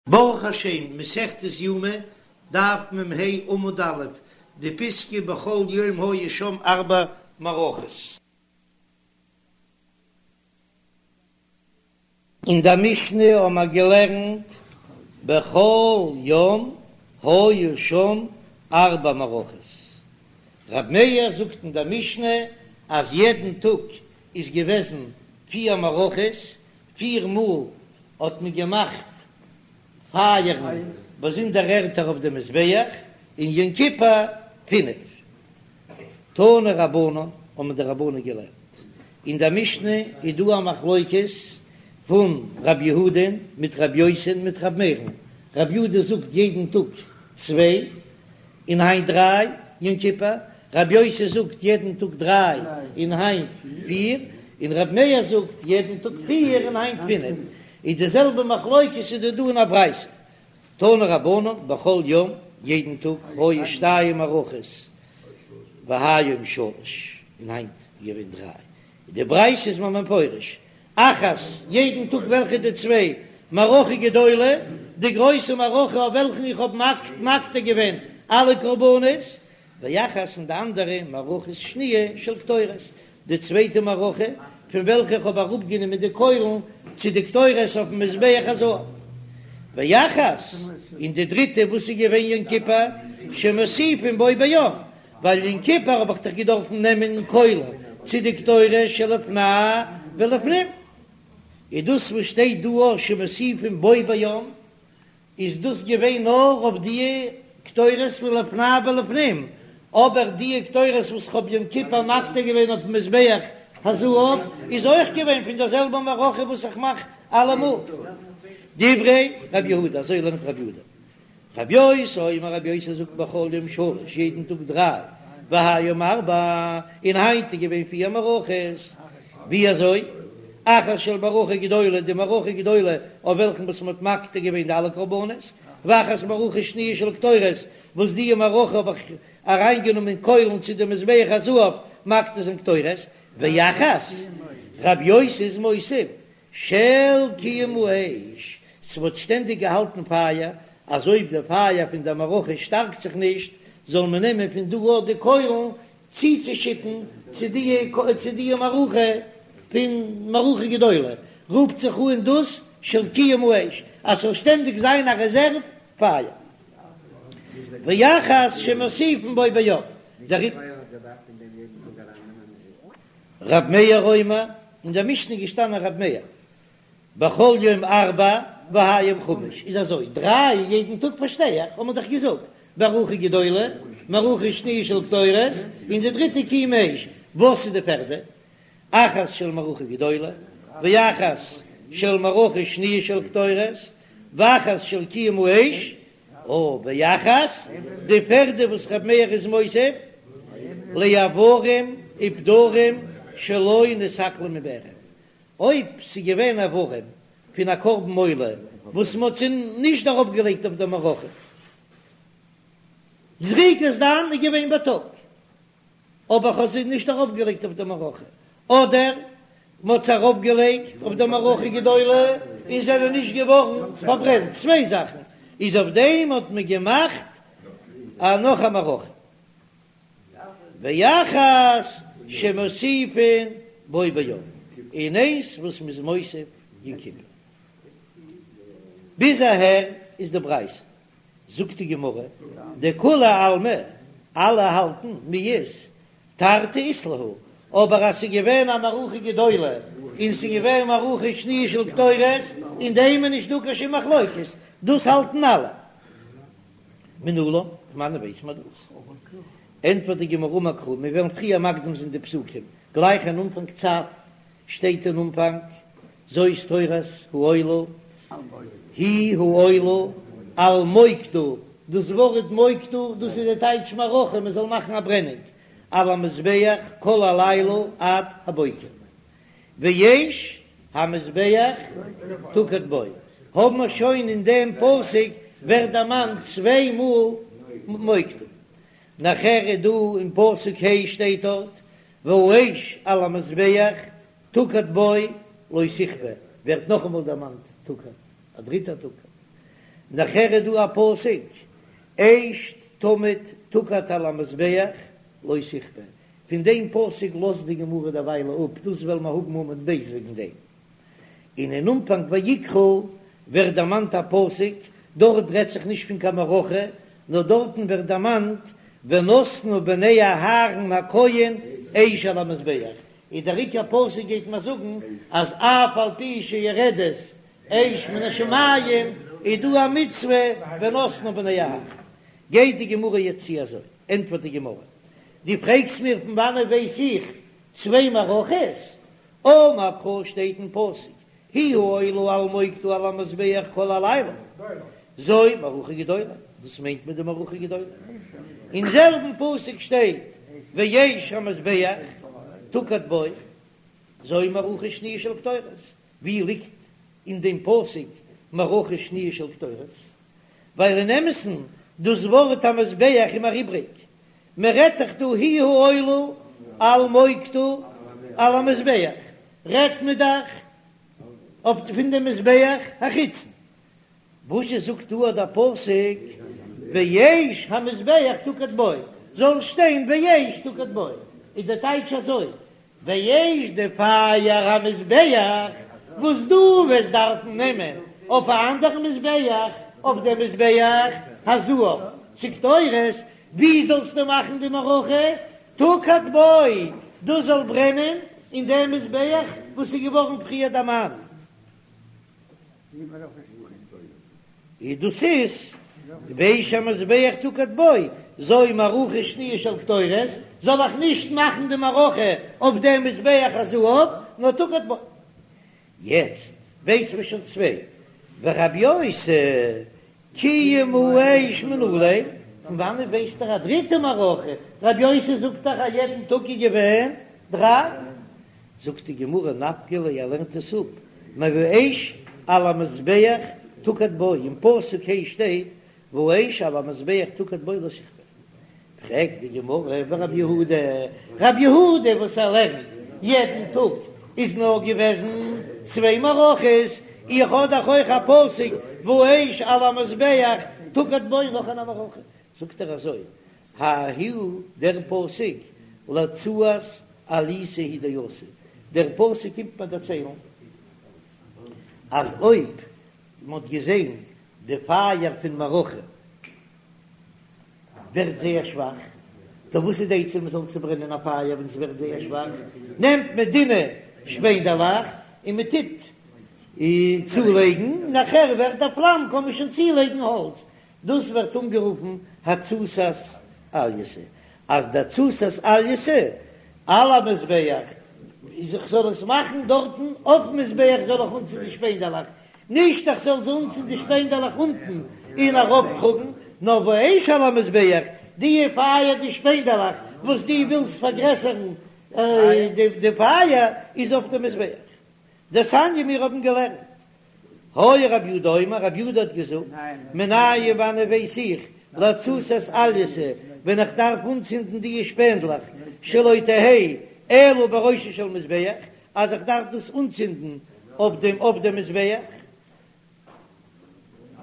ברוך השם, מסכת יומא, דף מ"ה עמוד א', די פיסקא בכל יום היו שם ארבע מערכות. אין דער משנה האבן מיר געלערנט בכל יום היו שם ארבע מערכות, רב מאיר זאגט אין דער משנה אז יעדן טאג איז געוועזן פיר מערכות, פיר מאל האט מען געמאכט פייערן באזונדערע ערטער אויף די מזבח, און יום כיפור פינף. תנו רבנן האבן די רבנן געלערנט, אין דער משנה איז דא א מחלוקת פון רב יהודה'ן מיט רב יוסי'ן מיט רב מאיר'ן, רב יהודה זאגט יעדן טאג צוויי, און היינט דריי יום כיפור, רבי יוסי זאגט יעדן טאג דריי און היינט פיר, און רבי מאיר זאגט יעדן טאג פיר און היינט פינף, איז די זעלבע מחלוקת איז דא דא אין א ברייתא, תנו רבנן בכל יום יעדן טאג היו שתיים מערכות והיום שלש און היינט געווען דריי, די ברייתא איז מיר מפרש אחת, יעדן טאג וועלכע די צוויי מערכה גדולה, די גרויסע מערכה אויף וועלכן איך האב מקטיר געווען אלע קרבנות, ואחת און די אנדערע מערכה שניה של קטורת, די צווייטע מערכה פון וועלכע איך האב אראפגענומען די קוילן צו די קטורת אויפן מזבח הזהב, ואחת, און די דריטע וואס איז געווען יום כיפור, שמוסיפין בו ביום, ווייל יום כיפור האב איך דאך געדארפן נעמען קוילן צו די קטורת שלפני ולפנים, איז דאס וואס שטייט דא אויך שמוסיפין בו ביום, איז דאס געווען נאר אויף די קטורת פון לפני ולפנים, אבער די קטורת וואס כ'האב יום כיפור מקטיר געווען אויפן מזבח הזהב איז אויך געווען פון דער זעלבער מערכה וואס איך מאך אלעמאל. דברי רב יהודה, אזוי לערנט רב יהודה. רבי יוסי אומר רבי יוסי זאגט בכל יום שלש יעדן טאג דריי והיום ארבע און היינט איז געווען פיר מערכות ווי אזוי אחת של מערכה גדולה די מערכה גדולה אויף וועלכן וואס מען האט מקטיר געווען די אלע קרבנות ואחת מערכה שניה של קטורת וואס די מערכה האב איך אריינגענומען קוילן צו די מזבח הזהב מקטיר זיין קטורת ואחת רבי יוסי איז מוסיף של קיום האש, ס'וואלט שטענדיג געהאלטן פייער, אז אויב די פייער פון דער מערכה שטארקט זיך נישט, זאל מען נעמען פון דא אט די קוילן צוצושיטן צו די צו די מערכה פון מערכה גדולה, רופט זיך אן דאס של קיום האש, אז ס'זאל שטענדיג זיין א רעזערוו פייער. ואחת שמוסיפין בו ביום, דער. רב מאיר אומר, אין דער משנה איז געשטאנען רב מאיר, בכל יום ארבע והיום חמש, איז אזוי, דריי יעדן טאג פארשטיי איך, האט מען דאך געזאגט, מערכה גדולה, מערכה שניה של קטורת, און די דריטע קיום האש, וואס איז די פערדע? אחת של מערכה גדולה, ואחת של מערכה שניה של קטורת, ואחת של קיום האש, או ואחת, די פערדע וואס ר' מאיר איז מוסיף, לאיברים ופדרים שלא נתעכלו מבערב, אויב ס'איז געווען איברים פון א קרבן עולה וואס מ'האט זיי נישט אראפגעלייגט אויף די מערכה, זריקת דם איז געווען בייטאג, אבער כ'האב זיי נישט ארויפגעלייגט אויף די מערכה, אדער מ'האט זיי ארויפגעלייגט אויף די מערכה גדולה און זענען נישט געווארן פארברענט, צוויי זאכן, איז אויף דעם האט מען געמאכט א נאך א מערכה, ואחת שמוסיפין בו ביום, און איינס וואס מ'איז מוסיף יום כיפור. ביז אהער איז די ברייתא. זאגט די גמרא, דכולי עלמא, אלע האלטן מיהת תרתי אית להו, אבער אז ס'איז געווען א מערכה גדולה און ס'איז געווען מערכה שניה של קטורת, אין דעם איז נישט דא קיין שום מחלוקת, דאס האלטן אלע. מנלן, פון וואנען ווייסט מען דאס? ענטפערט די גמרא אמר קרא, מיר וועלן פריער מקדים זיין די פסוקים, גלייך אין אנפאנג צו שטייט אין אנפאנג, זאת תורת העולה, היא העולה על מוקדה, דאס ווארט מוקדה דאס איז די טייטש מערכה, מען זאל מאכן א ברענונג, על המזבח כל הלילה עד הבוקר, ואש המזבח תוקד בו, האבן מיר שוין אין דעם פסוק ווערט דערמאנט צוויי מאל מוקדה, נאכער איז דא אין פסוק ה' שטייט דארט והאש על המזבח תוקד בו לא תכבה, ווערט נאכאמאל דערמאנט תוקד, א דריטע תוקד. נאכהער איז דא א פסוק, אש תמיד תוקד על המזבח לא תכבה, פון דעם פסוק לאזט די גמרא דערוויילע אפ, דאס וועלן מיר האבן עמוד ב' וועגן דעם. און אין אנפאנג ויקרא ווערט דערמאנט א פסוק, דארט רעדט זיך נישט פון קיין מערכה, נאר דארטן ווערט דערמאנט ונתנו בני אהרן הכהן אש על המזבח, איז דער עיקר פסוק גייט מיר זאגן אז אף על פי שיורדת אש מן השמים איז דא א מצוה ונתנו בני אהרן. גייט די גמרא יעצט צו אזוי, ענטפערט די גמרא, דו פרעגסט מיר פון וואנעט ווייס איך צוויי מערכות? אמר קרא שטייט אין פסוק היא העולה על מוקדה על המזבח כל הלילה זו מערכה גדולה, דאס מיינט מען די מערכה גדולה. אין זעלבן פסוק שטייט ואש המזבח תוקד בו זו מערכה שניה של קטורת, ווי ליגט אין דעם פסוק מערכה שניה של קטורת? ווייל אין אמת'ן דאס ווארט המזבח איז מיר איבריג, מען רעדט דאך דא היא העולה על מוקדה על המזבח, רעדט מען דאך אויף פון דעם מזבח החיצון, וואזשע זאגט דא דער פסוק ואש המזבח תוקד בו, זאל שטיין ואש תוקד בו, איז דער טייטש אזוי, ואש די פייער המזבח וואס דו וועסט דארפן נעמען אויף א אנדערן מזבח, אויף דעם מזבח הזהב צו קטורת, ווי זאלסטו מאכן די מערכה? תוקד בו, דאס זאל ברענען אין דעם מזבח וואס איז געווארן פריער דערמאנט. און דאס איז ואש המזבח תוקד בו, זו מערכה שניה של קטורת, זאל איך נישט מאכן די מערכה אויף דעם מזבח הזהב, נאר תוקד בו. יעצט ווייס מען שוין צוויי, ורבי יוסי קיום האש מנא ליה, פון וואנעט ווייסט ער א דריטע מערכה? רבי יוסי זאגט דאך אז יעדן טאג איז געווען דריי. זאגט די גמרא נפקא ליה ער לערנט עס אפ מואש על המזבח תוקד בו, אין פסוק ה' שטייט והאש על המזבח תוקד בו לא תכבה. פרעגט די גמרא ורב יהודה, רב יהודה וואס ער לערנט יעדן טאג איז נאר געוועזן צוויי מערכות, איך האב דאך אויך א פסוק והאש על המזבח תוקד בו נאך אן א מערכה, זאגט ער אזוי, ההוא דער פסוק להצתת אליתא הוא דאתא, דער פסוק קומט מיר דערציילן אז אויב מען האט געזען די פייער פון מערכה ווערט זייער שוואך, טא וואס איז די עצה מען זאל צוברענען א פייער ווען עס ווערט זייער שוואך? נעמט מען דינע שפענדעלעך און מען טוט צולייגן, נאכער ווערט א פלאם קען מען שוין צולייגן האלץ, דאס ווערט אנגערופן התססת אלייתא, אז די התססת אלייתא על המזבח איז איך זאל עס מאכן דארטן אויפן מזבח זאל איך אנצינדן די שפענדעלעך, נישט איך זאל זיי אנצינדן די שפענדעלעך אונטן און ארויפטראגן, נאר והאש על המזבח, די פייער די שפענדעלעך וואס דו ווילסט פארגרעסערן די פייער איז אויף די מזבח. דתניא מיר האבן געלערנט היה רב יהודה אומר, רב יהודה האט געזאגט, מנין וואנען ווייס איך, להתססת אלייתא, ווען איך דארף אנצינדן די שפענדלעך, שלא תהא אלא בראשו של מזבח, אז איך דארף דאס אנצינדן אויף דעם אויף דעם מזבח.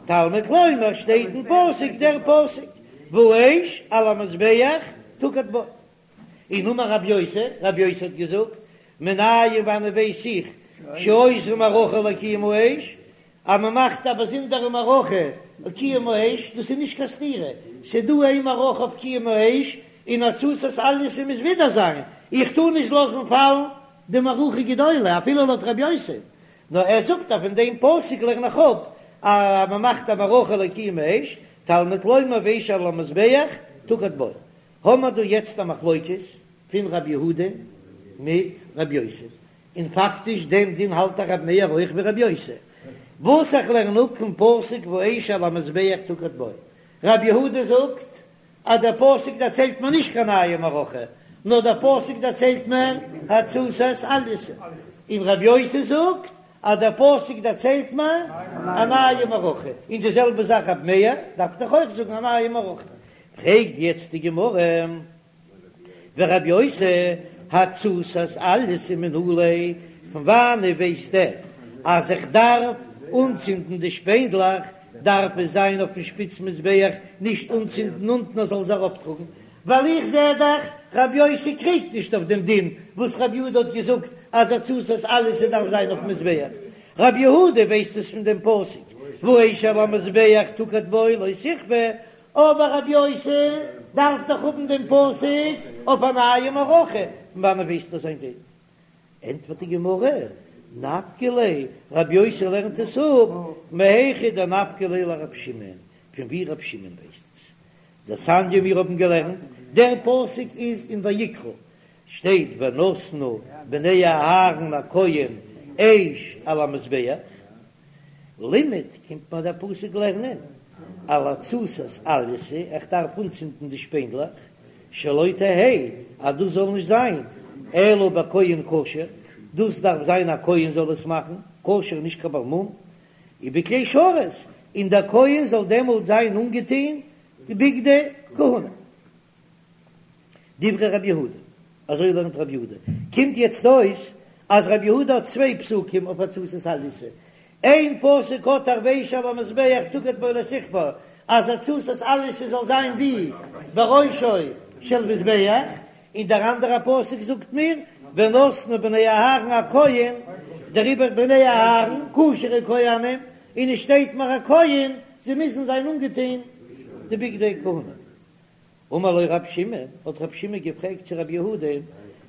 תלמוד לומר שטייט אין פסוק דער פסוק, והאש על המזבח תוקד בו. און אמר רבי יוסי, רבי יוסי האט געזאגט, מנין וואנען ווייס איך שעושה מערכה לקיום האש, אז מען מאכט א באזונדערע מערכה לקיום האש, דאס איז נישט קיין סתירה, ס'איז דא איין מערכה אויף קיום האש, און התססת אלייתא מוז ווידער זיין, איך טאר נישט לאזן פאלן די מערכה גדולה אפילו לויט רבי יוסי, נאר ער זאגט אז פון דעם פסוק לערן איך אפ אז מען מאכט א מערכה לקיום האש, תלמוד לומר והאש על המזבח תוקד בו. האמער דא יעצט א מחלוקת פון רב יהודה מיט רב יוסי, און פאקטיש דעם דין האלט דאך רב מאיר אויך ווי רב יוסי, וואס איך לערן אפ פון פסוק והאש על המזבח תוקד בו, רב יהודה זאגט אז דער פסוק דערציילט מיר נישט קיין נייע מערכה, נאר דער פסוק דערציילט מיר התססת אלייתא, און רב יוסי זאגט אז דער פסוק דערציילט מיר א נייע מערכה, און די זעלבע זאך רב מאיר דארף דאך אויך זאגן א נייע מערכה, פרעגט יעצט די גמרא, ורבי יוסי התססת אלייתא מנא ליה, פון וואנען ווייסט ער אז איך דארף אנצינדן די שפענדלעך? דארף עס זיין אויפן שפיץ מזבח, נישט אנצינדן אונטן ער זאל עס אראפטראגן, ווייל איך זע דאך רבי יוסי קריגט נישט אויף דעם דין וואס רבי יהודה האט געזאגט אז הצתת אלייתא דארף זיין אויפן מזבח, רבי יהודה ווייסט עס פון דעם פסוק והאש על המזבח תוקד בו לא תכבה, אבער רבי יוסי דארף דאך האבן דעם פסוק אויף א נייע מערכה, פון וואנען ווייסט ער זיין דין? ענטפערט די גמרא, נפקא ליה, רבי יוסי לערנט עס אפ מהיכא דנפקא ליה לרבי שמעון, פון ווי רבי שמעון ווייסט עס. דתניא מיר האבן געלערנט, דער פסוק איז אין ויקרא, שטייט ונתנו בני אהרן הכהן אש על המזבח, לימד קומט מיר דער פסוק לערנען על הצתת אלייתא, איך דארף אנצינדן די שפענדלעך, שלא תהא, אז דאס זאל נישט זיין, אלא בכהן כשר, דאס דארף זיין א כהן זאל עס מאכן, כשר נישט קיין בעל מום, ובכלי שרת, און דער כהן זאל דעמאלט זיין אנגעטון די בגדי כהונה. דברי רבי יהודה, אזוי לערנט רבי יהודה, קומט יעצט אויס אז רבי יהודה האט צוויי פסוקים אויף הצתת אלייתא, איין פסוק האט ער והאש על המזבח תוקד בו לא תכבה, אז הצתת אלייתא זאל זיין ווי בראשו של מזבח, און דער אנדערע פסוק זאגט מיר ונתנו בני אהרן הכהן, דעריבער בני אהרן כשר'ע כהנים, און עס שטייט מיר הכהן, זיי מוזן זיין אנגעטון די בגדי כהונה. אמר לו רב שמעון, האט רב שמעון געפרעגט צו רב יהודה,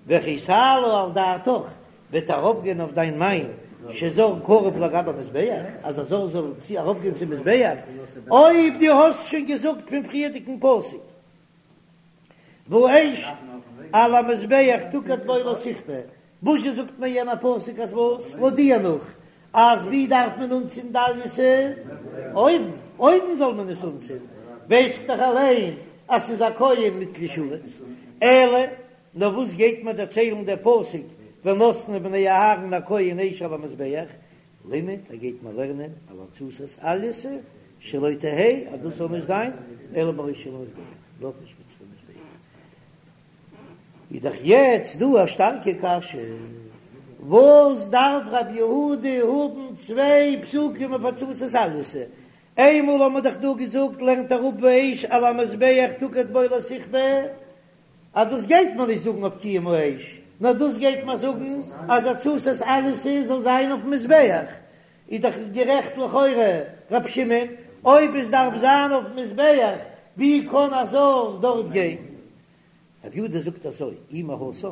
וכי תעלה על דעתך, וועט ארויפגיין אויף דיין מיינד, שזר קרב לגבי מזבח, אז א זר זאל צו ארויפגיין צום מזבח, אויב דו האסט שוין געזאגט פון פריערדיגן פסוק, והאש על המזבח תוקד בו לא תכבה, וואזשע זאגט מיר יענער פסוק אז וואס? לויט דיר נאך אז ווי דארף מען אנצינדן אלייתא? אויבן, אויבן זאל מען עס אנצינדן, ווייס איך דאך אליין אז ס'איז א כהן מיט כלי שרת, אלא נאר וואס גייט מיר דערציילן דער פסוק ונתנו בני אהרן הכהן אש על המזבח, לימד, ער גייט מיר לערנען על הצתת אלייתא שלא תהא אז דאס זאל נישט זיין אלא בראשו של מזבח, נאר אויפן שפיץ פון מזבח. איז דאך יעצט דא א שטארקע קשיא, וואס דארף רב יהודה האבן צוויי פסוקים אויף הצתת אלייתא? איינמאל האבן מיר דאך דא געזאגט לערנט ער אפ והאש על המזבח תוקד בו לא תכבה, אז דאס גייט מען נישט זאגן אויף קיום האש, נאר דאס גייט מען זאגן אז הצתת אלייתא זאל זיין אויפן מזבח, איז דאך גערעכט לכאורה ר' שמעון, אויב עס דארף זיין אויפן מזבח, ווי קען א זר דארט גיין? רב יהודה זאגט אזוי, אי מהתם,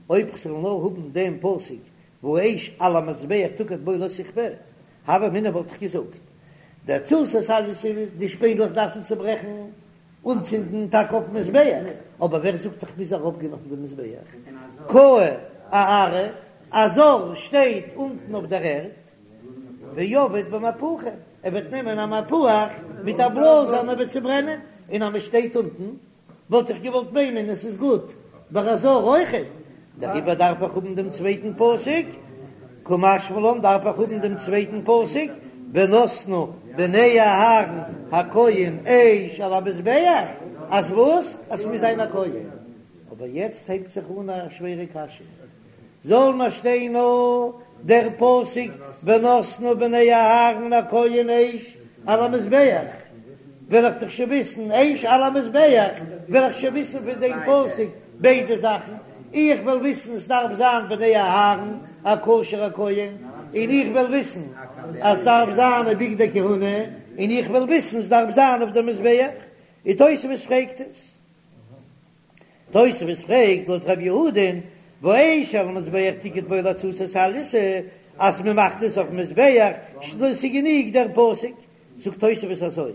אויב כ'זאל נאר האבן דעם פסוק והאש על המזבח תוקד בו לא תכבה, הוה אמינא וואלט איך געזאגט, דהצתת אלייתא די שפענדלעך דארפן צוברעכן, אנצינדן טאקע אויפן מזבח, אבער ווער זאגט איך מוז ארויפגיין אויפן דעם מזבח? קאי אארעא, א זר שטייט אונטן אויף דער ערד, ועביד במהפוכא, ער וועט נעמען א מהפך מיט א בלאז און ער וועט צוברענען, און אז מען שטייט אונטן וואלט איך געוואלט מיינען עס איז גוט ביי א זר אויכעט, דעריבער דארף איך האבן דעם צווייטן פסוק, קא משמע לן דארף איך האבן דעם צווייטן פסוק, ונתנו בני אהרן הכהן אש על המזבח, אז וואס? אז ס'מוז זיין א כהן. אבער יעצט הייבט זיך אן א שווערע קשיא, זאל מיר שטיין נאר דער פסוק ונתנו בני אהרן הכהן אש על המזבח, וועל איך דאך שוין וויסן אש על המזבח, וועל איך שוין וויסן פון דעם פסוק ביידע זאכן, איך וועל וויסן עס דארף זיין בני אהרן א כשר'ע כהן, און איך וועל וויסן אז ס'דארף זיין בגדי כהונה, און איך וועל וויסן ס'דארף זיין אויף דעם מזבח, און תוספות פרעגט עס. תוספות פרעגט לויט ר' יהודה'ן והאש על המזבח תוקד בו להצתת אלייתא אז מען מאכט עס אויפן מזבח ס'איז גענוג דער פסוק, זאגט תוספות אזוי,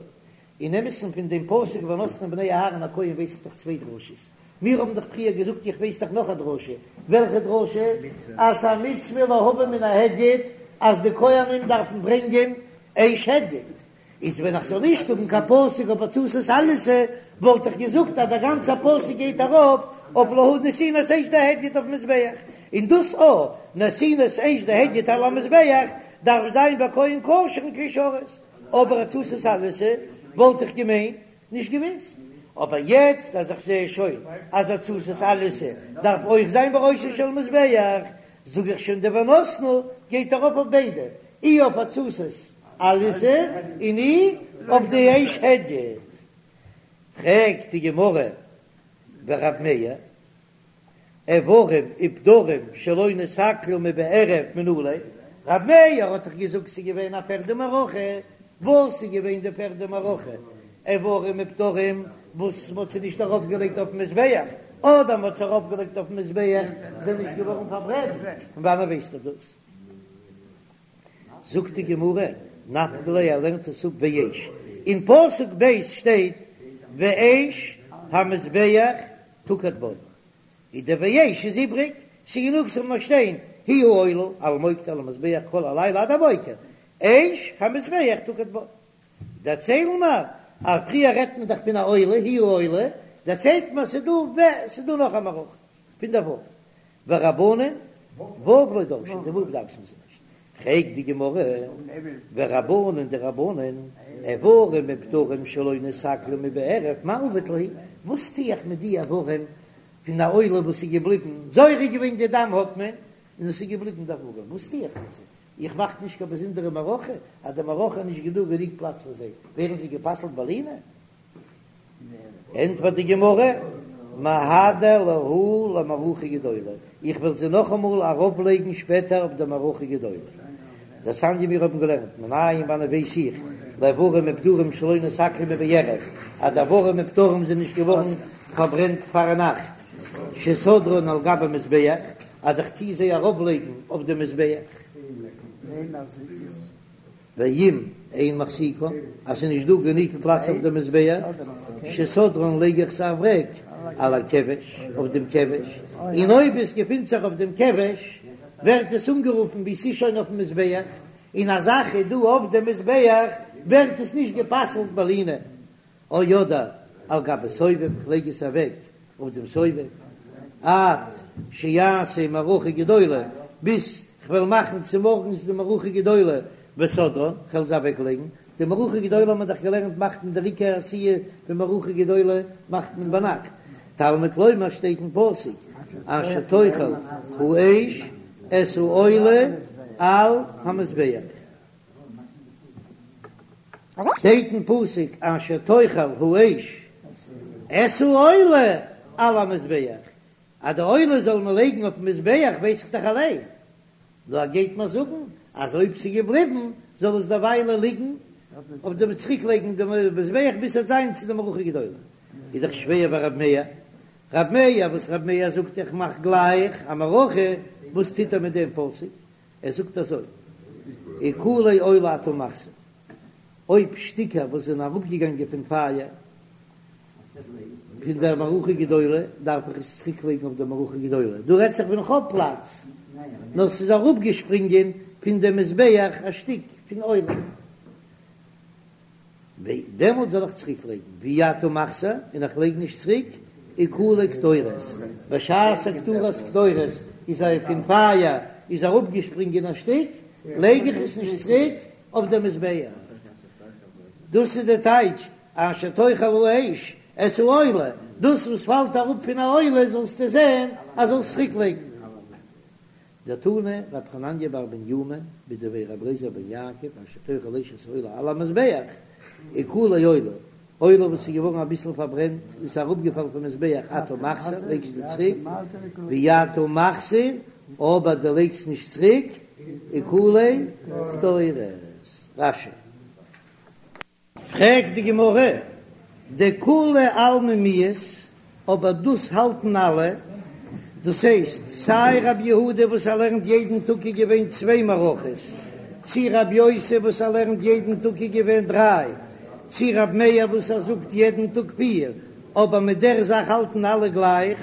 אין אמת'ן פון דעם פסוק ונתנו בני אהרן הכהן ווייס איך דאך צוויי דרשות, מיר האבן דאך פריער געזאגט איך ווייס דאך נאך א דרשה, וועלכע דרשה? אז ס'איז א מצוה להביא מן ההדיוט אז די כהנים דארפן ברענגען אש הדיוט, איז ווען איך זאל נישט האבן קיין פסוק אויף הצתת אלייתא, וואלט איך געזאגט אז דער גאנצער פסוק גייט ארויף אויף להביא נתינת אש דהדיוט אויפן מזבח, און דאס א נתינת אש דהדיוט על המזבח דארף זיין בכהן כשר און כלי שרת, אבער הצתת אלייתא וואלט איך געמיינט נישט געוויסט, אבער יעצט אז איך זע שוין אז הצתת אלייתא דארף אויך זיין בראשו של מזבח, זאג איך שוין די ונתנו גייט ארויף אויף ביידע, אי אויף הצתת. עליזה און אי אויף די אש הדיוט. פרעגט די גמרא ורב מאיר, איברים ופדרים שלא נתעכלו מבערב מנא ליה, רב מאיר האט דאך געזאגט ס'איז געווען א פערדע מערכה, וואס איז געווען די פערדע מערכה? איברים ופדרים וואס מ'האט זיי נישט ארויף געלייגט אויפן מזבח, אדער מ'האט זיי ארויף געלייגט אויפן מזבח זענען נישט געווארן פארברענט, פון וואנען ווייסטו דאס? זאגט די גמרא, נפקא ליה ער לערנט עס אפ ואש, אין פסוק ב' שטייט ואש המזבח תוקד בו, איז דער ואש איז איבריג, ס'איז גענוג ס'זאל נאר שטיין היא העולה על המוקד על המזבח כל הלילה עד הבוקר, אש המזבח תוקד בו. דערציילן מיר אז פריער רעדט מען דאך פון א עולה, היא העולה, דערציילט מען ס'איז דא ו ס'איז דא נאך א מערכה פון דער ו' ורבנן ו' לא דרשי, די ו' דרש'ן זיי נישט. פרעגט די גמרא, ורבנן די רבנן, איברים ופדרים שלא נתעכלו מבערב, מאי עביד להו, וואס טו איך מיט די איברים פון א עולה וואס איז געבליבן, זורק געווען די דם האט מען, און עס איז געבליבן די איברים, וואס טו איך מיט זיי? איך מאך נישט קיין באזונדערע מערכה, אז די מערכה איז נישט געדא גענוג פלאץ פאר זיי, ווערן זיי גע'פסל'ט בלינה? ענטפערט די גמרא, מהדר להו למערכה גדולה, איך וועל זיי נאכאמאל ארויפלייגן שפעטער אויף די מערכה גדולה. דתניא מיר האבן געלערנט, מנין וואנען ווייס איך, לאיברים ופדרים שלא נתעכלו מבערב, אז די איברים ופדרים זענען נישט געווארן פארברענט פארנאכט, שסדרן על גבי מזבח, אז איך טוה זיי ארויפלייגן אויף די מזבח. ואם אין מחזיקן, אז ס'איז נישט דא גענוג פלאץ אויף דעם מזבח, שסדרן לייג איך זיי אוועק על הכבש, אויף דעם כבש, און אויב עס געפינט זיך אויף דעם כבש, ווערט עס אנגערופן ווי ס'איז שוין אויפן מזבח, און א זאך איז דא אויף דעם מזבח, ווערט עס נישט גע'פסל'ט בלינה. או אדער על גבי סובב, כ'לייג עס אוועק אויף דעם סובב, עד שיעשה מערכה גדולה, ביז כ'וועל מאכן צומארגנס די מערכה גדולה, וסדרן, כ'וועל זיי אוועק לייגן, די מערכה גדולה האט מען דאך געלערנט מאכט מען דער עיקר עשיה פון מערכה גדולה מאכט מען ביינאכט, תלמוד לומר שטייט אין פסוק אשר תאכל האש את העולה על המזבח. שטייט אין פסוק אשר תאכל האש את העולה על המזבח, אז די עולה זאל מען לייגן אויפן מזבח ווייס איך דאך אליין, נאר ער גייט מיר זאגן אז אויב ס'איז געבליבן זאל עס דערוויילע ליגן אויף דעם צוריק לייגן דעם מזבח ביז ס'וועט זיין צו די מערכה גדולה, איז דאך שווער ביי רב מאיר, רב מאיר וואס רב מאיר זאגט איך מאך גלייך א מערכה, וואס טוט ער מיט דעם פסוק? ער זאגט אזוי, עיקולי עולה אתה מחזיר, אויב שטיקער וואס זענען אראפגעגאנגען פון פייער פון דער מערכה גדולה, דארף איך עס צוריק לייגן אויף דער מערכה גדולה, דא רעדט זיך ווען איך האב פלאץ, נאר ס'איז אראפגעשפרינגען פון דעם מזבח א שטיק פון עולה. דעמאלט זאל איך צוריק לייגן ואי אתה מחזיר, און איך לייג נישט צוריק עיקולי קטורת, בשעת הקטרת קטורת איז א פון פייער איז אראפגעשפרינגען א שטיק, לייג איך עס נישט צוריק אויף דער מזבח. דאס איז די טייטש אשר תאכל האש את העולה, דאס וואס פאלט אראפ פון א עולה זאלסטו זען אז זאלסט צוריק לייגן. דתני רב חנניה בר בנימי מדבי רבי אליעזר בן יעקב אשר תאכל האש את העולה על המזבח עיקולי עולה, עולה וואס איז געווארן אביסל פארברענט און ס'איז אראפגעפאלן פון מזבח אתה מחזיר לייגסטו צוריק ואי אתה מחזיר אבער דו לייגסט נישט צוריק עיקולי קטורת. רש"י. פרעגט די גמרא, דכולי עלמא מיהת, אבער דאס האלטן אלע, דאס הייסט סיי רב יהודה וואס ער לערנט יעדן טאג איז געווען צוויי מערכות, צי רב יוסי וואס ער לערנט יעדן טאג איז געווען דריי, צי רב מאיר וואס ער זאגט יעדן טאג פיר, אבער מיט דער זאך האלטן אלע גלייך,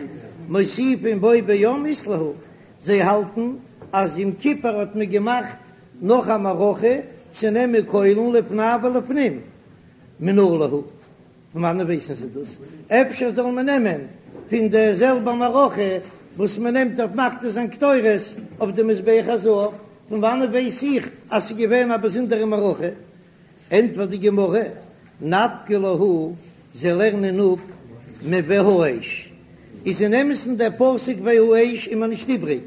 מוסיפין בו ביום אית להו, זיי האלטן אז יום כיפור האט מען געמאכט נאך א מערכה צו נעמען קוילן לפני ולפנים מנא להו, פון וואנען ווייסן זיי דאס? אפשר זאל מען נעמען פון די זעלבע מערכה וואס מען נעמט אויף מקטיר זיין קטורת אויף די מזבח הזהב, פון וואנען ווייס איך אז ס'איז געווען א באזונדערע מערכה? ענטפערט די גמרא, נפקא להו, זיי לערנען אפ מוהאש, איז אין אמת'ן דער פסוק והאש איז מיר נישט איבריג,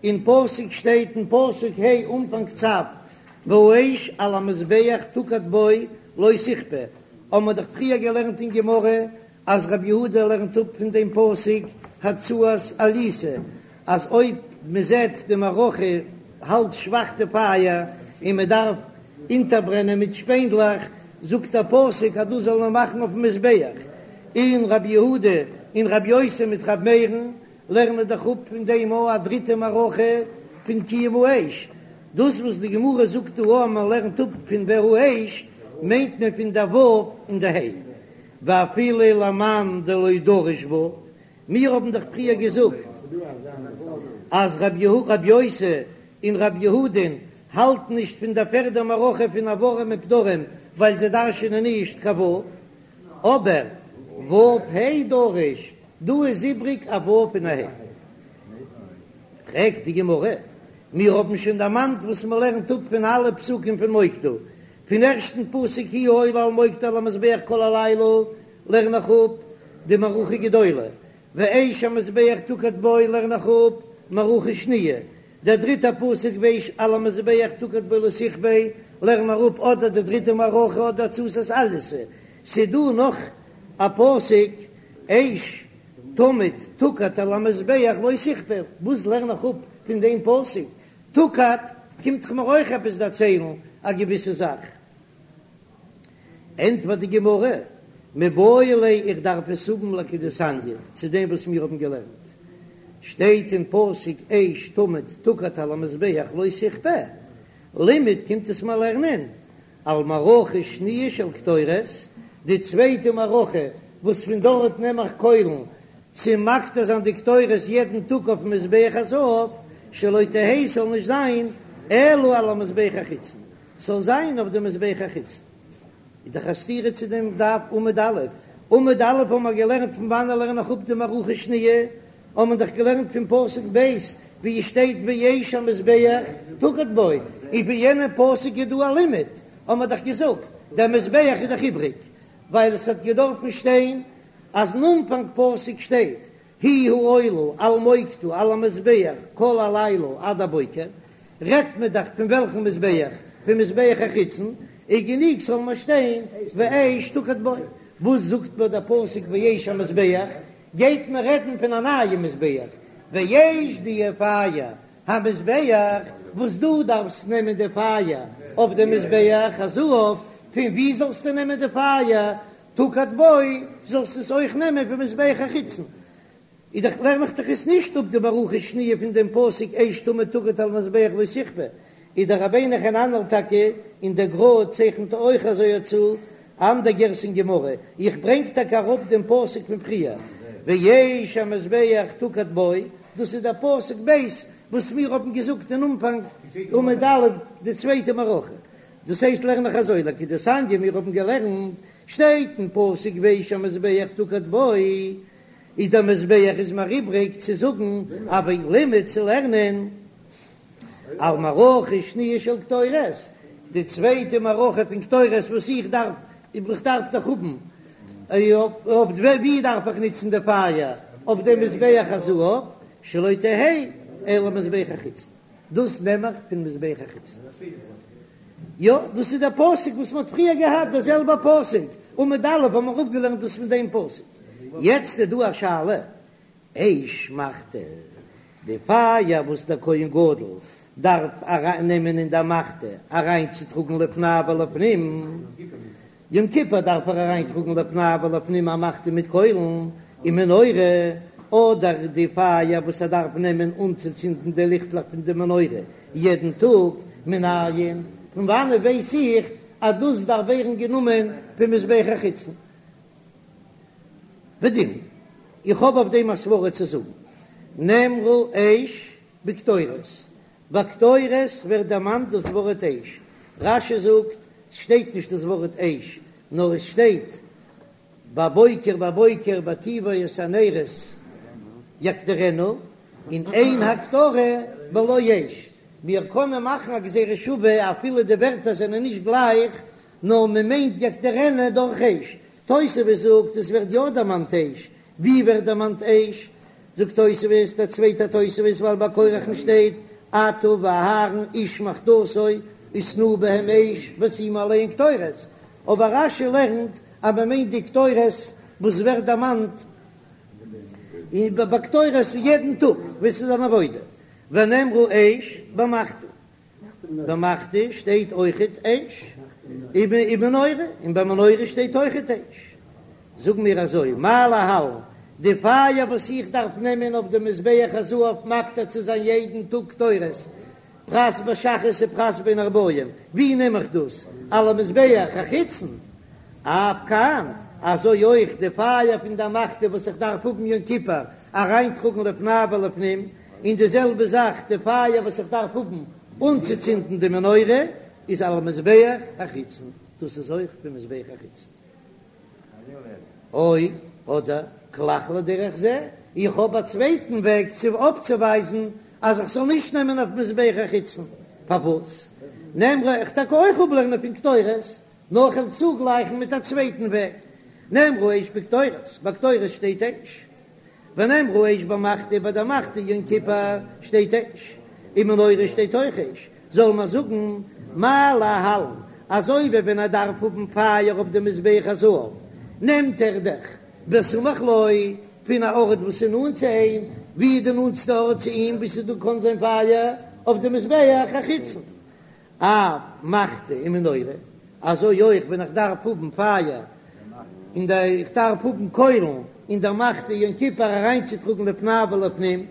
אין פסוק שטייט אין פסוק ה' אנפאנג צו. והאש על המזבח תוקד בו לא תכבה, האבן מיר דאך פריער געלערנט אין גמרא אז רבי יהודה לערנט אפ פון דעם פסוק הצתת אליתא אז אויב מען זעט די מערכה האלט שוואך די פייער און מען דארף אונטערברענען מיט שפענדלעך, זאגט דער פסוק אז דאס זאל מען מאכן אויפן מזבח, און רבי יהודה און רבי יוסי מיט רבי מאיר'ן לערנען דאך אפ פון דעם א דריטע מערכה פון קיום האש, דאס וואס די גמרא זאגט דא אז מען לערנט אפ פון והאש מיינט מען פון דער ו' און די ה', ואפילו למאן דלא דריש ו', מיר האבן דאך פריער געזאגט אז רבי יוסי און רבי יהודה'ן האלטן נישט פון דער פערדע מערכה פון איברים ופדרים ווייל זיי דרש'ענען נישט קיין ו', אבער ו' ה' דריש, דא איז איבריג א ו' און א ה'. פרעגט די גמרא, מיר האבן שוין דערמאנט וואס מען לערנט אפ פון אלע פסוקים פון מוקדה, פון ערשטן פסוק היא העולה על מוקדה על המזבח כל הלילה לערן איך אפ די מערכה גדולה, ואש המזבח תוקד בו לערן איך אפ מערכה שניה, דער דריטער פסוק ואש על המזבח תוקד בו לא תכבה לערן מיר אפ אדער די דריטע מערכה אדער הצתת אליתא, ס'דא נאך א פסוק אש תמיד תוקד על המזבח לא תכבה, וואס לערן איך אפ פון דעם פסוק תוקד קומט דאך מיר אויך עפעס דערציילן א געוויסע זאך. ענטפערט די גמרא, מיבעי ליה איך דארף עס האבן לכדתניא, צו דעם וואס מיר האבן געלערנט, שטייט אין פסוק אש תמיד תוקד על המזבח לא תכבה, לימד קומט עס מיר לערנען על מערכה שניה של קטורת, די צווייטע מערכה וואס פון דארט נעם איך קוילן צו מקטיר זיין די קטורת יעדן טאג אויפן מזבח הזהב, שלא תהא ס'זאל נישט זיין אלא על המזבח החיצון, ס'זאל זיין אויף די מזבח החיצון. איז דאך א סתירה צו דעם דף עמוד א', עמוד א' האבן מיר געלערנט פון וואנען לערן איך אפ די מערכה שניה, האבן מיר דאך געלערנט פון פסוק ב' ווי עס שטייט ואש המזבח תוקד בו, און פון יענעם פסוק איז דא א לימוד, האבן מיר דאך געזאגט דער מזבח איז דאך איבריג, ווייל עס האט געדארפן שטיין אז אין אנפאנג פסוק שטייט היא העולה על מוקדה על המזבח כל הלילה עד הבוקר, רעדט מען דאך פון וועלכן מזבח? פון מזבח החיצון, איז גענוג ס'זאל נאר שטיין ואש תוקד בו, וואס זאגט מיר דער פסוק ואש המזבח? גייט מען רעדן פון א נייעם מזבח, ואש די פייער המזבח, וואס דו דארפסט נעמען די פייער אויף די מזבח הזהב, פון ווי זאלסטו נעמען די פייער? תוקד בו, זאלסט עס אויך נעמען פון מזבח החיצון. איז דאך לערן איך דאך עס נישט אפ די מערכה שניה פון דעם פסוק אש תמיד תוקד על המזבח לא תכבה, איז דער רבינו חננאל טאקע און דער גר"א צייכנט אויך אזוי צו אנדער גירסא אין גמרא, איך ברענג טאקע אראפ דעם פסוק פון פריער, ואש המזבח תוקד בו, דאס איז דער פסוק ב' וואס מיר האבן געזאגט אין אנפאנג עמוד א' די צווייטע מערכה, דאס הייסט לערן איך אזוי לכדתניא מיר האבן געלערנט שטייט אין פסוק ואש המזבח תוקד בו, איז דער מזבח איז מיר איבריג צו זאגן אבער לימד צו לערנען על מערכה שניה של קטורת, די צווייטע מערכה פון קטורת וואס איך דארף, איך דארף דאך האבן, אויף ווי דארף איך נוצן די פייער, אויף דעם מזבח הזהב, שלא תהא אלא מזבח החיצון, דאס נעם איך פון מזבח החיצון. יא, דאס איז דער פסוק וואס מען האט פריער געהאט, דער זעלבער פסוק, עמוד א' האבן מיר אפגעלערנט דאס פון דעם פסוק. יעצט איז דא א שאלה, אש מחתה, די פייער וואס דער כהן גדול דארף אריין נעמען אין דער מחתה אריינצוטראגן לפני ולפנים, יום כיפור דארף ער אריינטראגן לפני ולפנים א מחתה מיט קוילן ומנורה, אדער די פייער וואס ער דארף נעמען אנצוצינדן די ליכטלעך פון די מנורה יעדן טאג, מנין, פון וואנעט ווייס איך אז דאס דארף ווערן גענומען פון מזבח החיצון? ודין הוא, איך האב אויף דעם א סברא צו זאגן, נאמרה אש בקטורת, ביי קטורת ווערט דערמאנט דאס ווארט אש, רש"י זאגט, ס'שטייט נישט דאס ווארט אש, נאר עס שטייט בבוקר בבוקר בהיטיבו את הנרות יקטירנה, און אין הקטרה בלא אש, מיר קענען מאכן א גזירה שווה אפילו די ווערטער זענען נישט גלייך, נאר מען מיינט יקטירנה דורך אש, תוספות זאגט עס ווערט יא דערמאנט אש, ווי ווערט דערמאנט אש? זאגט תוספות, דער צווייטער תוספות, ווייל ביי קרח'ן שטייט אתה ואהרן איש מחתתו. ושנאו בהם אש ושימו עליהם קטורת, אבער רש"י לערנט אז מען מיינט די קטורת וואס ווערט דערמאנט ביי קטורת יעדן טאג וואס איז אן עבודה, ונאמרה אש במחתה. במחתה שטייט אויכעט אש, ובמנורה, און ביי מנורה שטייט אויכעט אש. זאג מיר אזוי, מה להלן, די פייער וואס איך דארף נעמען אויף די מזבח הזהב מקטיר צו זיין יעדן טאג קטורת, פרס בשחרית ופרס בין הערבים, ווי נעם איך דאס? על המזבח החיצון. אף כאן, אזוי אויך די פייער פון די מחתה וואס איך דארף האבן יום כיפור אריינטראגן לפני ולפנים, און די זעלבע זאך די פייער וואס איך דארף האבן אנצוצינדן די מנורה איז על המזבח החיצון, דאס איז אויך פון מזבח החיצון. או, אדער כלך לדרך זה, איך האב א צווייטן וועג צו אויפצוווייזן אז איך זאל נישט נעמען אויף מזבח החיצון, פארוואס נאמרה איך טאקע אויך אפלערנען פון קטורת, נאר כ'וועל צוגלייכן מיט א צווייטן וועג, נאמרה אש בקטורת, ביי קטורת שטייט אש, ונאמרה אש במחתה, ביי דער מחתה יום כיפור שטייט אש, און מנורה שטייט אויך אש, זאל מען זאגן מה להלן, אזוי ווי ווען ער דארף האבן פייער אויף די מזבח הזהב, נעמט ער דאך בסמוך לו פון א ארט וואס איז נאנט צו אים, ווי איז די נאנטסטע ארט צו אים וואו ס'איז דא קען זיין פייער? אויף די מזבח החיצון. אף מחתה ומנורה, אזוי אויך ווען איך דארף האבן פייער אין די, איך דארף האבן קוילן אין דער מחתה יום כיפור אריינצוטראגן לפני ולפנים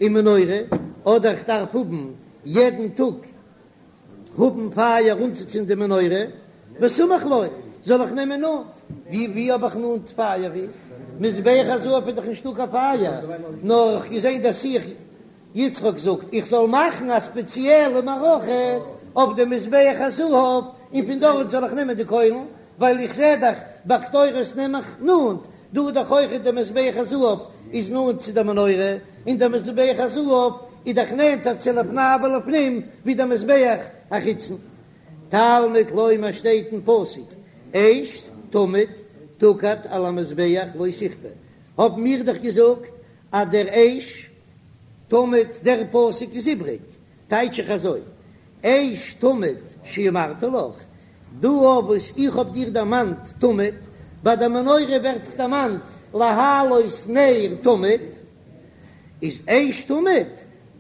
און מנורה, אדער איך דארף האבן יעדן טאג האבן פייער אנצוצינדן די מנורה, בסמוך לו, זאל איך נעמען נאנט, ווי ווי האב איך נאנט פייער ווי? מזבח הזהב איז דאך נישטא קיין פייער, נאר איך געזען דער שיח. יצחק זאגט, איך זאל מאכן א ספעציעלע מערכה אויף דעם מזבח הזהב, און פון דארט זאל איך נעמען די קוילן, ווייל איך זע דאך ביי קטורת נעם איך נאנט, דא איז דאך אויכעט דער מזבח הזהב איז נאנט צו דער מנורה, און דער מזבח הזהב איז דאך נענטער צו לפני ולפנים ווי דער מזבח החיצון. תלמוד לומר שטייט אין פסוק, אש תמיד תוקד על המזבח לא תכבה, האבן מיר דאך געזאגט אז דער אש תמיד דער פסוק איז איבריג, טייטש איך אזוי, אש תמיד שאמרתי לך, דא אויף וואס איך האב דיר דערמאנט תמיד, ביי די מנורה ווערט דאך דערמאנט להעלות נר תמיד, איז אש תמיד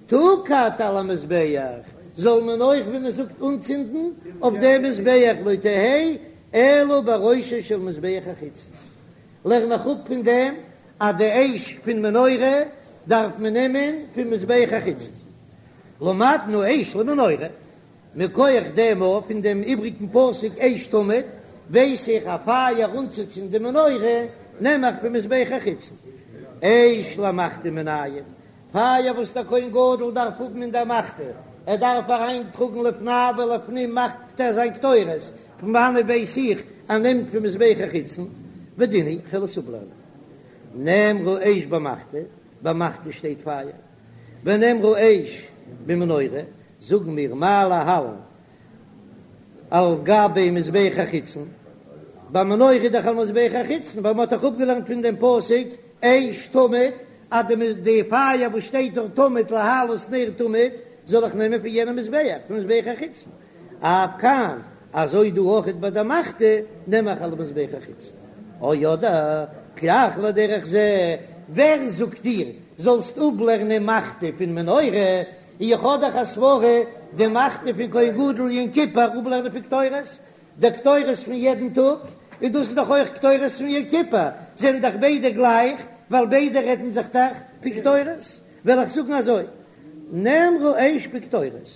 תוקד על המזבח, זאל מען אויך ווי מען זאגט אנצינדן אויף דעם מזבח לא תהא אלא בראשו של מזבח החיצון. לערן איך אפ פון דעם אז די אש פון מנורה דארף מען נעמען פון מזבח החיצון. למדנו אש למנורה, מכח דעם אויף פון דעם איבריגן פסוק אש תמיד, ווייס איך אז פייער אנצוצינדן די מנורה נעם איך פון מזבח החיצון. אש למחתה מנין, פייער וואס דער כהן גדול דארף האבן אין דער מחתה, ער דארף אריין טראגן לפני ולפנים מקטיר זיין קטורת, פון וואנעט ווייס איך אז ער נעמט פון מזבח החיצון, ודין הוא כ'וועל עס אפלערנען. נאמרה אש במחתה, ביי מחתה שטייט פייער, ונאמרה אש במנורה, זאגן מיר מה להלן על גבי מזבח החיצון, ביי מנורה איז דאך על מזבח החיצון, ווייל מען האט דאך אפגעלערנט פון דעם פסוק אש תמיד, אז די די פייער וואס שטייט דארט תמיד להעלות נר תמיד, זאל איך נעמען פון יענעם מזבח, פון מזבח החיצון. אף כאן, אזוי דא אויכעט ביי די מחתה, נעם איך על מזבח החיצון. או אדער, כלך לדרך זה, ווער זאגט דיר זאלסט אפלערנען מחתה פון מנורה, איך האב דאך א סברה די מחתה פון כהן גדול יום כיפור אפלערנען פון קטורת, די קטורת פון יעדן טאג, און דאס איז דאך אויך קטורת פון יום כיפור, זענען דאך ביידע גלייך, ווייל ביידע רעדן זיך דאך פון קטורת, וועל איך זאגן אזוי, נאמרה אש בקטורת,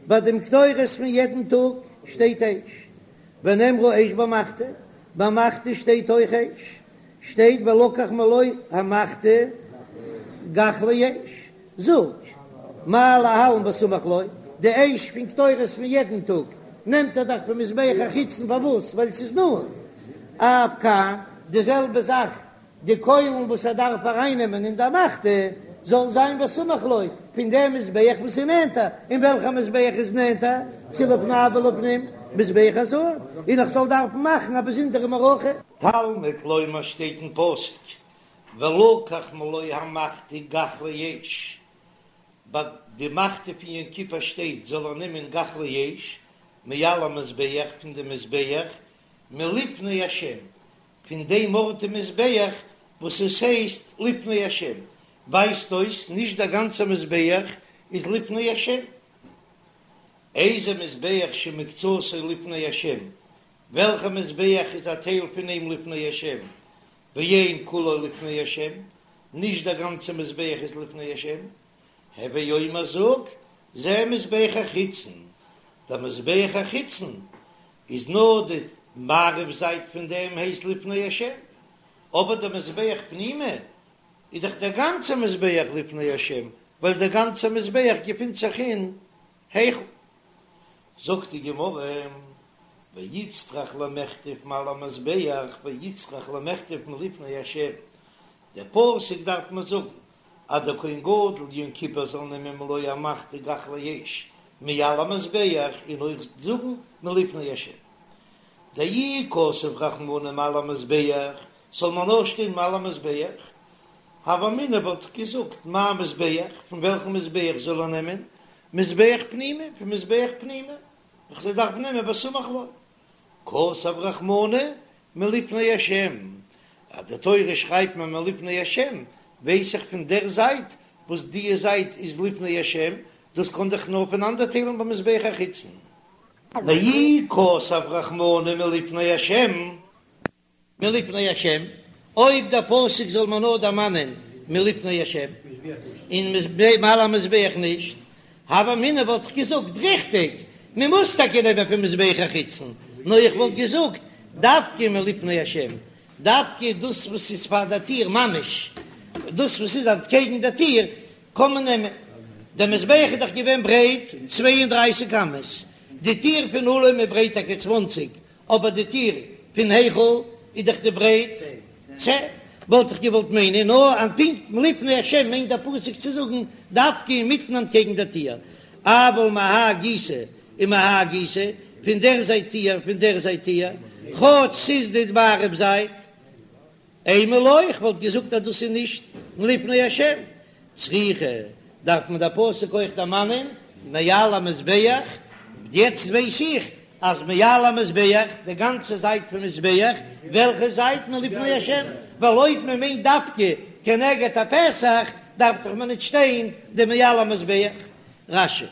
ביי דעם קטורת פון יעדן טאג שטייט אש, ונאמרה אש במחתה, ביי מחתה שטייט אויך אש, שטייט ולקח מלא המחתה גחלי אש, זאג, מה להלן בסמוך לו, די אש פון קטורת פון יעדן טאג נעמט ער דאך פון מזבח החיצון, פארוואס? ווייל ס'איז נאנט. אף כאן, די זעלבע זאך, די קוילן וואס ער דארף ארייננעמען אין די מחתה, זאל זיין בסמוך לו, פון דעם מזבח וואס איז נענטער, און וועלכע מזבח איז נענטער צו לפני ולפנים? מזבח הזהב, און איך זאל דארפן מאכן א באזונדערע מערכה. תלמוד לומר שטייט אין פסוק ולקח מלא המחתה גחלי אש, ביי די מחתה פון יום כיפור שטייט זאל ער נעמען גחלי אש, מעל המזבח פון די מזבח מלפני השם, פון דעם ארט אין מזבח וואס עס הייסט לפני השם, ווייזט אויס נישט דער גאנצער מזבח איז לפני השם. איזה מזבח שמקצתו לפני השם, וועלכע מזבח איז א טייל פון אים לפני השם, ואין כולו לפני השם, נישט דער גאנצער מזבח איז לפני השם, הוי אומר זאג, זה מזבח החיצון, דער מזבח החיצון איז נאר די מערב זייט פון דעם הייסט לפני השם, אבער דער מזבח פנימי איז דאך דער גאנצער מזבח לפני השם, ווייל דער גאנצער מזבח געפינט זיך אין היכל. זאגט די גמרא, ואיצטריך למכתב מעל המזבח ואיצטריך למכתב מלפני השם, דער פסוק דארף מען זאגן אז דער כהן גדול יום כיפור זאל נעמען מלא המחתה גחלי אש מעל המזבח און אויך זאגן מלפני השם. דאי כתב רחמנא מעל המזבח, זאל מען נאר שטיין מעל המזבח, הוה אמינא וואלט איך געזאגט מאי מזבח, פון וועלכן מזבח זאל ער נעמען, מזבח פנימי, פון מזבח פנימי, איך זאל דארפן נעמען בסמוך לו. כתב רחמנא מלפני השם, אז די תורה שרייבט מען מלפני השם, ווייס איך פון דער זייט וואס דיע זייט איז לפני השם, דאס קען דאך נאר פונאנדערטיילן במזבח החיצון. ואי כתב רחמנא מלפני השם. מלפני השם, אויב דער פסוק זאל מען נאר דערמאנען מלפני השם, און מעל המזבח נישט, הוה אמינא וואלט איך געזאגט, ריכטיג, מען מוז טאקע נעמען פון מזבח החיצון, נאר איך וואלט געזאגט דווקא מלפני השם, דווקא דאס וואס איז פאר דער טיר ממש, דאס וואס איז אנטקעגן דער טיר, קען מען נעמען. דער מזבח איז דאך געווען ברייט 32 אמות, די טיר פון אולם איז ברייט טאקע צוואנציג, אבער די טיר פון היכל איז דאך די ברייט צען, וואלט איך געוואלט מיינען נאר אז פונקט מלפני השם מיינט דער פסוק צו זאגן דווקא אינמיטן אנטקעגן דער טיר, אבל מהאי גיסא ומהאי גיסא, פון דער זייט טיר פון דער זייט טיר, כאטש ס'איז די מערב זייט, אימא לא, איך וואלט געזאגט אז דאס איז נישט מלפני השם, צריכא, דארף מען דער פסוק אויך דערמאנען מעל המזבח, יעצט ווייס איך אז מעל המזבח, די גאנצע זייט פון מזבח, וועלכע זייט מלפני השם, ווייל אויב מען מיינט דווקא כנגד הפתח, דארף דאך מען נישט שטיין די מעל המזבח. רש"י.